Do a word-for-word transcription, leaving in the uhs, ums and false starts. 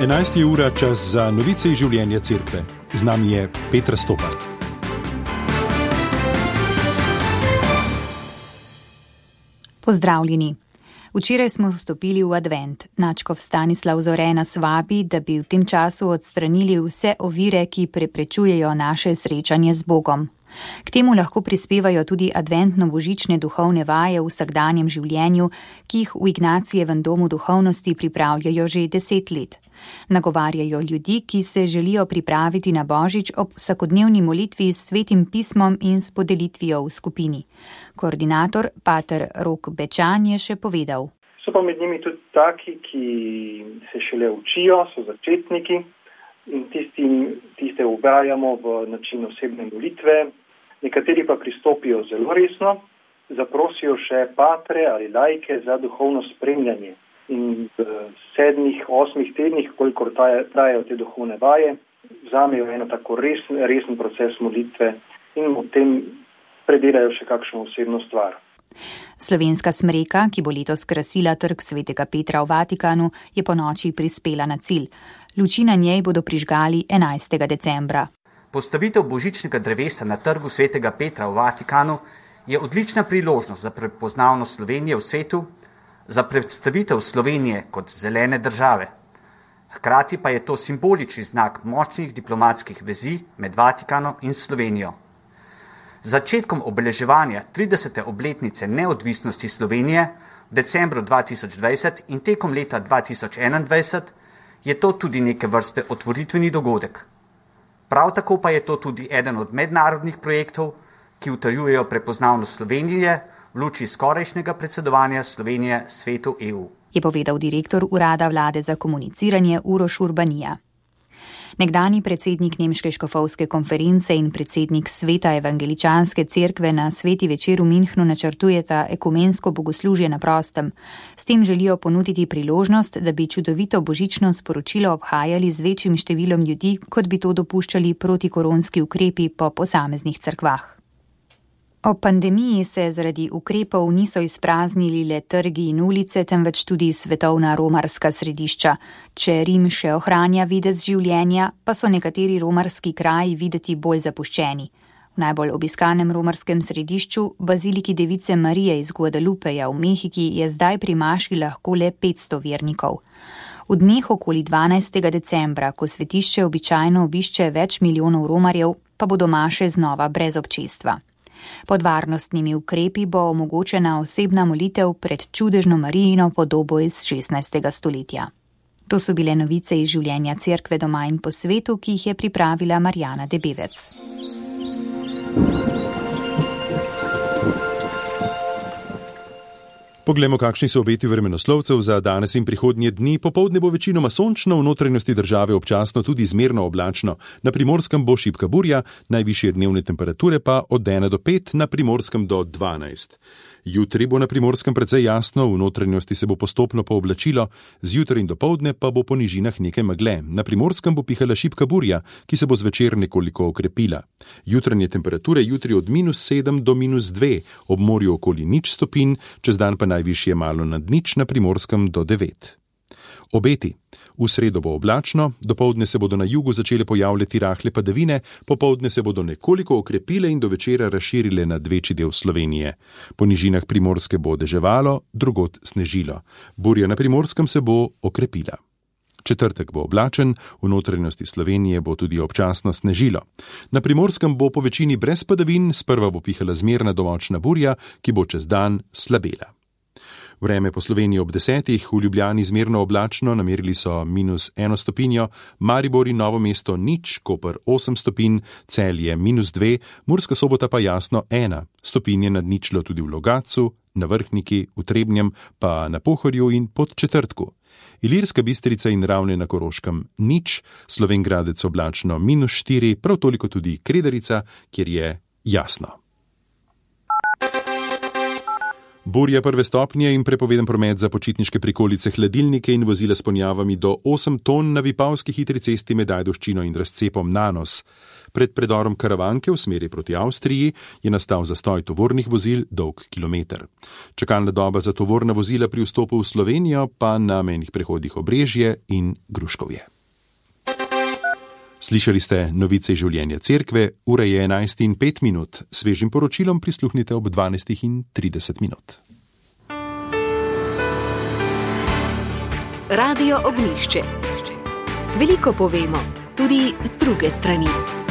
enajsta ura, čas za novice iz življenja cerkve. Z nami je Petra Stopar. Pozdravljeni. Včeraj smo vstopili v advent. Nadškof Stanislav Zore nas vabi, da bi v tem času odstranili vse ovire, ki preprečujejo naše srečanje z Bogom. K temu lahko prispevajo tudi adventno-božične duhovne vaje v vsakdanjem življenju, ki jih v Ignacijevem domu duhovnosti pripravljajo že deset let. Nagovarjajo ljudi, ki se želijo pripraviti na Božič ob vsakodnevni molitvi s svetim pismom in s podelitvijo v skupini. Koordinator pater Rok Bečan je še povedal. So pa med njimi tudi taki, ki se šele učijo, so začetniki in tistim, tiste ubrajamo v način osebne molitve. Nekateri pa pristopijo zelo resno, zaprosijo še patre ali laike za duhovno spremljanje. In v sedmih, osmih tednih, kolikor trajajo te duhovne vaje, vzamejo eno tako resen, resen proces molitve in v tem predelajo še kakšno osebno stvar. Slovenska smreka, ki bo letos krasila trg svetega Petra v Vatikanu, je po noči prispela na cilj. Luči na njej bodo prižgali enajstega decembra. Postavitev božičnega drevesa na trgu svetega Petra v Vatikanu je odlična priložnost za prepoznavnost Slovenije v svetu, za predstavitev Slovenije kot zelene države. Hkrati pa je to simbolični znak močnih diplomatskih vezi med Vatikanom in Slovenijo. Z začetkom obeleževanja tridesete obletnice neodvisnosti Slovenije v decembru dva tisoč dvajset in tekom leta dva tisoč enaindvajset je to tudi neke vrste otvoritveni dogodek. Prav tako pa je to tudi eden od mednarodnih projektov, ki utrjujejo prepoznavnost Slovenije v luči skorajšnjega predsedovanja Slovenije svetu E U. Je povedal direktor Urada vlade za komuniciranje Uroš Urbanija. Nekdanji predsednik Nemške škofovske konference in predsednik Sveta evangeličanske cerkve na Sveti večer v Münchnu načrtujeta ekumensko bogoslužje na prostem. S tem želijo ponuditi priložnost, da bi čudovito božično sporočilo obhajali z večjim številom ljudi, kot bi to dopuščali protikoronski ukrepi po posameznih cerkvah. Ob pandemiji se zaradi ukrepov niso izpraznili le trgi in ulice, temveč tudi svetovna romarska središča. Če Rim še ohranja videz življenja, pa so nekateri romarski kraji videti bolj zapuščeni. V najbolj obiskanem romarskem središču, baziliki Device Marije iz Guadalupeja v Mehiki, je zdaj pri maši lahko le petsto vernikov. V dneh okoli dvanajstega decembra, ko svetišče običajno obišče več milijonov romarjev, pa bodo maše znova brez občestva. Pod varnostnimi ukrepi bo omogočena osebna molitev pred čudežno Marijino podobo iz šestnajstega stoletja. To so bile novice iz življenja cerkve doma in po svetu, ki jih je pripravila Marjana Debevec. Poglejmo, kakšni so obeti vremenoslovcev za danes in prihodnje dni. Popoldne bo večinoma sončno, v notranjosti države občasno tudi zmerno oblačno. Na Primorskem bo šibka burja, najvišje dnevne temperature pa od ena do pet, na Primorskem do dvanajst. Jutri bo na Primorskem precej jasno, v notranjosti se bo postopno pooblačilo, zjutraj in dopoldne pa bo po nižinah nekaj megle. Na Primorskem bo pihala šibka burja, ki se bo zvečer nekoliko okrepila. Jutranje temperature jutri od minus sedem do minus dve, ob morju okoli nič stopinj, čez dan pa najvišje malo nad nič, na Primorskem do devet. Obeti. V sredo bo oblačno, dopoldne se bodo na jugu začele pojavljati rahle padavine, popoldne se bodo nekoliko okrepile in do večera razširile nad večji del Slovenije. Po nižinah Primorske bo deževalo, drugod snežilo. Burja na Primorskem se bo okrepila. Četrtek bo oblačen, v notranjosti Slovenije bo tudi občasno snežilo. Na Primorskem bo po večini brez padavin, sprva bo pihala zmerna domočna burja, ki bo čez dan slabela. Vreme po Sloveniji ob desetih, v Ljubljani zmerno oblačno, namerili so minus eno stopinjo, Maribor in Novo mesto nič, Koper osem stopinj, Celje minus dve, Murska Sobota pa jasno ena, stopinje nad ničlo tudi v Logatcu, na Vrhniki, v Trebnjem, pa na Pohorju in Podčetrtku. Ilirska Bistrica in Ravne na Koroškem nič, Slovenj Gradec oblačno minus štiri, prav toliko tudi Kredarica, kjer je jasno. Burja prve stopnje in prepoveden promet za počitniške prikolice, hladilnike in vozila s ponjavami do osem ton na Vipavski hitri cesti med Ajdovščino in razcepom Nanos. Pred predorom Karavanke v smeri proti Avstriji je nastal zastoj tovornih vozil dolg kilometer. Čakalna doba za tovorna vozila pri vstopu v Slovenijo pa na mejnih prehodih Obrežje in Gruškovje. Slišali ste novice življenja cerkve, ura je enajst in pet minut, svežim poročilom prisluhnite ob dvanajst in trideset minut. Radio Ognjišče. Veliko povemo, tudi z druge strani.